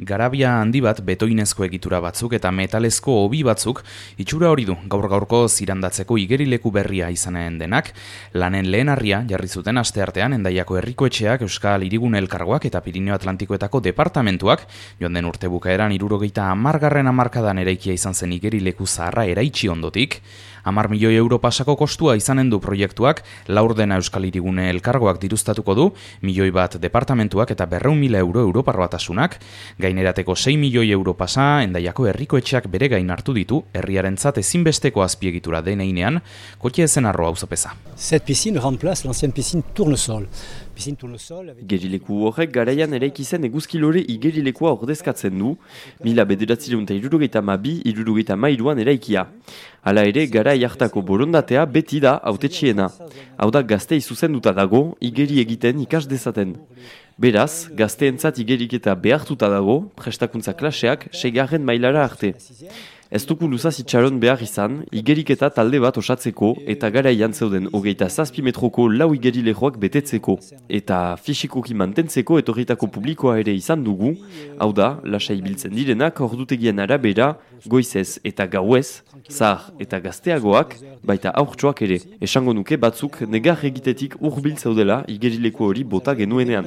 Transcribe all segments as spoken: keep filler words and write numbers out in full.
Garabia handi bat betoinezko egitura batzuk eta metalezko hobi batzuk itxura hori du gaur gaurko zirandatzeko igerileku berria izanen denak. Lanen lehen harria jarri zuten asteartean Hendaiako Herriko Etxeak, Euskal Hirigune Elkargoak eta Pirineo Atlantikoetako departamentuak joan den urte bukaeran hirurogeita hamargarren hamarkadan eraikia izan zen igerileku zaharra eraitsi ondotik. Hamar milioi euro pasako kostua izanen du proiektuak, laurdena Euskal Hirigune Elkargoak diruztatuko du, milioi bat departamentuak eta berrehun mila euro Europar Batasunak. Gainerateko sei milioi euro pasa, Hendaiako Herriko Etxeak bere gain hartu ditu, herriarentzat ezinbesteko azpiegitura deneinean, Kotxe Ezenarro auzopeza. Cette piscine remplace l'ancienne piscine Tournesol. Igerileku horrek garaian eraiki zen eguzkilore igerilekua ordezkatzen du, mila bederatziehun eta hirurogeita hamabi hirurogeita hamairuan eraikia. Hala ere, garai hartako borondatea beti da hautetsiena. Hau da gaztei zuzenduta dago, igeri egiten ikas dezaten. Beraz, gazteentzat igeriketa behartuta dago, prestakuntza klaseak seigarren mailara arte. Ez duku luzaz itxaron behar izan, igeriketa talde bat osatzeko eta garaian zeuden hogeita zazpi metroko lau igerilejoak betetzeko. Eta fisikoki mantentzeko etorritako publikoa ere izan dugu, hau da, lasai biltzen direnak ordutegien arabera, goizez eta gauez, zahar eta gazteagoak, baita aurtsoak ere. Esango nuke batzuk negar egitetik hurbil zeudela igerileku hori bota genuenean.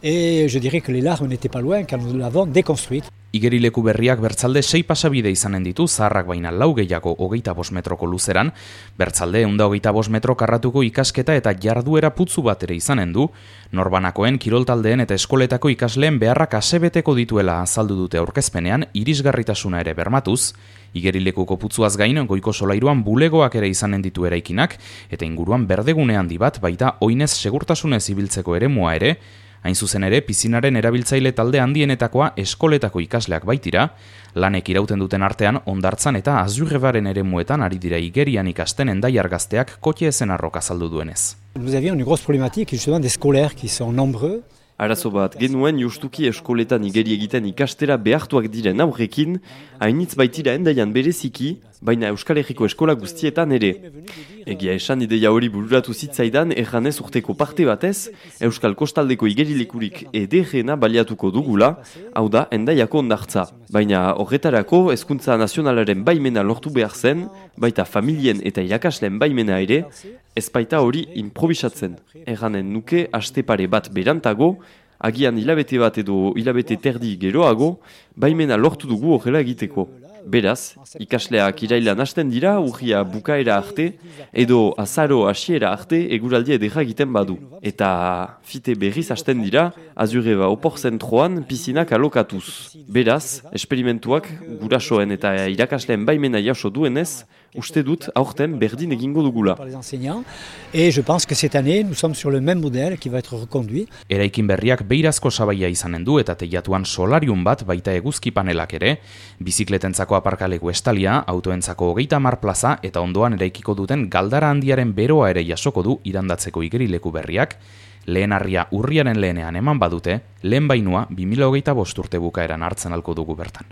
Et je dirais que les larmes n'étaient pas loin quand nous l'avons déconstruite. Igerileku berriak bertzalde sei pasabide izanen ditu, zaharrak baina lau gehiago hogeita bost metroko luzeran, bertzalde ehunda hogeita bost metro karratuko ikasketa eta jarduera putzu bat ere izanen du, norbanakoen, kiroltaldeen eta eskoletako ikasleen beharrak asebeteko dituela azaldu dute aurkezpenean, irisgarritasuna ere bermatuz. Igerilekuko putzuaz gain, goiko solairuan bulegoak ere izanen ditu eraikinak, eta inguruan berdegune handi bat, baita oinez segurtasunez ibiltzeko eremua ere. Hain zuzen ere, pizinaren erabiltzaile talde handienetakoa eskoletako ikasleak baitira, lanek irauten duten artean ondartzan eta azurrebaren eremuetan ari dira igerian ikasten Hendaiar gazteak Kotxe Ezenarrok azaldu duenez. Nous avions une grosse problématique justement des scolaires qui sont nombreux. Arazo bat genuen justuki eskoletan igeri egiten ikastera behartuak diren aurrekin, hainitz baitira Hendaian bereziki, baina Euskal Herriko eskola guztietan ere. Egia esan ideia hori bururatu zitzaidan erranez urteko parte batez, Euskal Kostaldeko igerilekurik ederrena baliatuko dugula, hau da Hendaiako ondartza. Baina horretarako hezkuntza nazionalaren baimena lortu behar zen, baita familien eta irakasleen baimena ere, ez baita hori improvisatzen. Erranen nuke aste pare bat berantago, agian hilabete bat edo hilabete terdi geroago, baimena lortu dugu horrela egiteko. Beraz, ikasleak irailan hasten dira, urria bukaera arte, edo azaro hasiera arte eguraldia edera egiten badu. Eta fite berriz hasten dira, azureba opor zentroan pizinak alokatuz. Beraz, esperimentuak gurasoen eta irakasleen baimena jaso duenez, uste dut aurten berdin egingo dugula. Et je pense que cette année, nous sommes sur le même modèle qui va être reconduit. Eraikin berriak beirazko sabaia izanen du eta teilatuan solarium bat baita eguzki panelak ere, bizikletentzako aparkalegu estalia, autoentzako hogeita hamar plaza eta ondoan eraikiko duten galdara handiaren beroa ere jasoko du irandatzeko igerileku berriak, lehen harria urriaren lehenean eman badute, lehen bainua bi mila hogeita bost urte bukaeran hartzen alko dugu bertan.